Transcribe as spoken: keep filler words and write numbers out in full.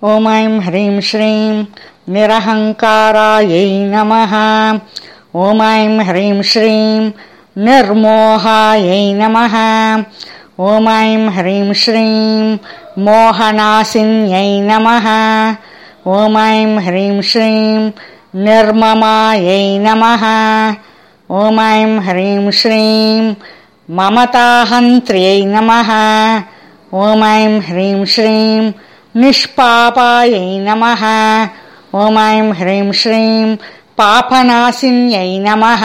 ॐ ऐं ह्रीं श्रीं निरहङ्कारायै नमः। ॐ ऐं ह्रीं श्रीं निर्मोहायै नमः। ॐ ऐं ह्रीं श्रीं मोहनासिन्यै नमः। ॐ ऐं ह्रीं श्रीं निर्ममायै नमः। ॐ ऐं ह्रीं श्रीं ममताहन्त्र्यै नमः। ॐ ऐं ह्रीं श्रीं निष्पापायै नमः। ॐ ऐं ह्रीं श्रीं पापनाशिन्यै नमः।